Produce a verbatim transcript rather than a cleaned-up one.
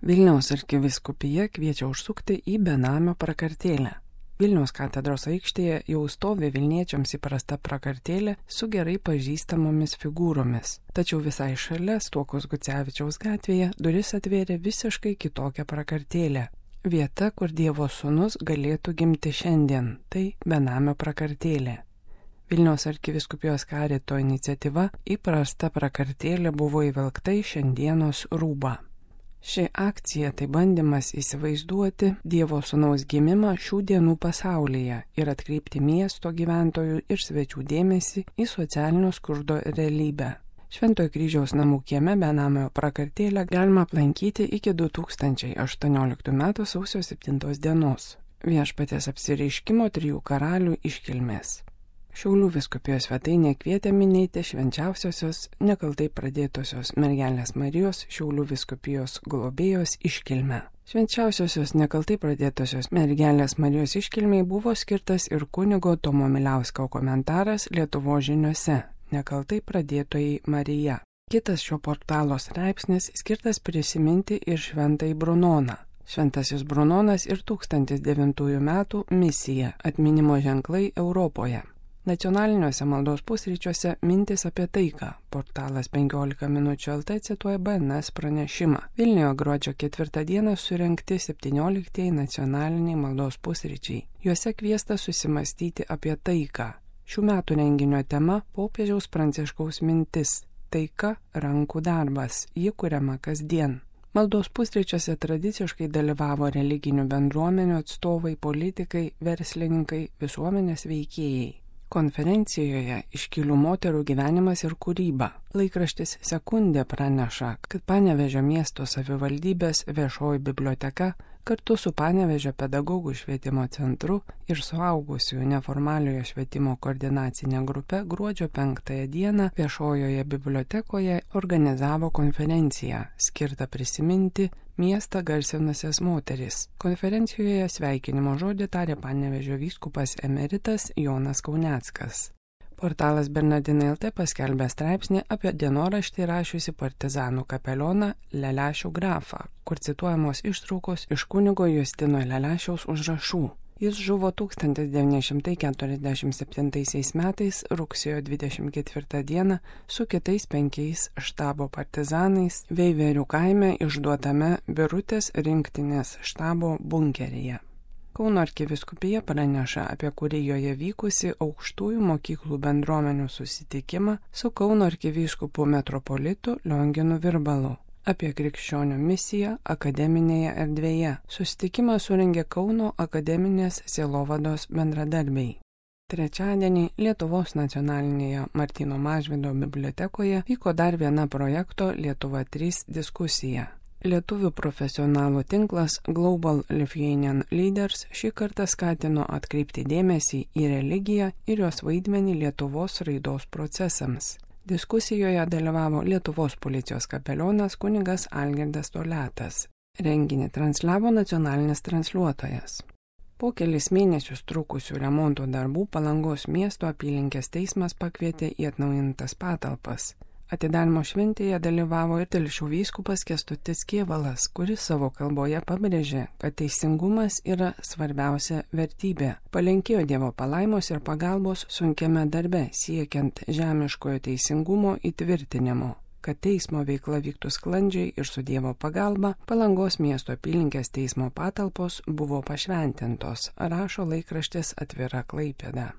Vilniaus arkivyskupija kviečia užsukti į benamio prakartėlę. Vilniaus katedros aikštėje jau stovi Vilniečiams įprasta prakartėlė su gerai pažįstamomis figūromis. Tačiau visai šalia Stuokos Gucevičiaus gatvėje duris atvėrė visiškai kitokią prakartėlę. Vieta, kur Dievo sūnus galėtų gimti šiandien, tai benamio prakartėlė. Vilniaus arkivyskupijos karito iniciatyva įprasta prakartėlė buvo įvelgta į šiandienos rūbą. Ši akcija tai bandymas įsivaizduoti Dievo sūnaus gimimą šių dienų pasaulyje ir atkreipti miesto gyventojų ir svečių dėmesį į socialinio skurdo realybę. Šventojo kryžiaus namų kieme benamio prakartėlę galima aplankyti iki du tūkstančiai aštuonioliktų metų sausio septintos dienos. Viešpaties apsireiškimo trijų karalių iškilmės. Šiaulių vyskupijos svetainė kvietė minėti švenčiausiosios nekaltai pradėtosios mergelės Marijos Šiaulių vyskupijos globėjos iškilmę. Švenčiausiosios nekaltai pradėtosios mergelės Marijos iškilmei buvo skirtas ir kunigo Tomo Miliausko komentaras Lietuvos žiniose Nekaltai pradėtojai Marija. Kitas šio portalo straipsnis skirtas prisiminti ir šventąjį Brunoną. Šventasis Brunonas ir tūkstantis devintųjų metų misija atminimo ženklai Europoje. Nacionaliniuose maldos pusryčiuose mintis apie taiką. Portalas penkiolika minučių L T cituoja B N S pranešimą. Vilniuje gruodžio ketvirtą dieną surengti septynioliktieji nacionaliniai maldos pusryčiai. Juose kviesta susimastyti apie taiką. Šių metų renginio tema – popiežiaus Pranciškaus mintis. Taika – rankų darbas. Ji kuriama kasdien. Maldos pusryčiuose tradiciškai dalyvavo religinių bendruomenių atstovai, politikai, verslininkai, visuomenės veikėjai. Konferencijoje iškilių moterų gyvenimas ir kūryba. Laikraštis Sekundė praneša, kad Panevėžio miesto savivaldybės viešoji biblioteka kartu su Panevėžio pedagogų švietimo centru ir suaugusiųjų neformaliojo švietimo koordinacinė grupė gruodžio penktąją dieną viešojoje bibliotekoje organizavo konferenciją skirtą prisiminti miestą garsinusias moteris. Konferencijoje sveikinimo žodį tarė Panevėžio vyskupas emeritas Jonas Kauneckas. Portalas Bernardinai L T paskelbė straipsnį apie dienoraštį rašiusi partizanų kapelioną Lelešių grafą, kur cituojamos ištraukos iš kunigo Justino Lelešiaus užrašų. Jis žuvo tūkstantis devyni šimtai keturiasdešimt septintaisiais metais rugsėjo dvidešimt ketvirtą dieną su kitais penkiais štabo partizanais Veiverių kaime išduotame Birutės rinktinės štabo bunkeryje. Kauno arkivyskupija praneša apie Kurijoje vykusi aukštųjų mokyklų bendruomenių susitikimą su Kauno arkivyskupu metropolitu Lionginu Virbalu apie krikščionių misiją akademinėje erdvėje. Susitikimą surengė Kauno akademinės sielovados bendradarbiai. Trečiadienį Lietuvos nacionalinėje Martyno Mažvydo bibliotekoje vyko dar viena projekto Lietuva trys diskusija. Lietuvių profesionalų tinklas Global Lithuanian Leaders šį kartą skatino atkreipti dėmesį į religiją ir jos vaidmenį Lietuvos raidos procesams. Diskusijoje dalyvavo Lietuvos policijos kapelionas kunigas Algirdas Toliatas. Renginį transliavo nacionalinis transliuotojas. Po kelis mėnesius trukusių remonto darbų Palangos miesto apylinkės teismas pakvietė į atnaujintas patalpas. Atidarymo šventėje dalyvavo ir Telšių vyskupas Kęstutis Kėvalas, kuris savo kalboje pabrėžė, kad teisingumas yra svarbiausia vertybė. Palinkėjo Dievo palaimos ir pagalbos sunkiame darbe, siekiant žemiškojo teisingumo įtvirtinimo. Kad teismo veikla vyktų sklandžiai ir su Dievo pagalba, Palangos miesto apylinkės teismo patalpos buvo pašventintos, rašo laikraštis Atvira Klaipėda.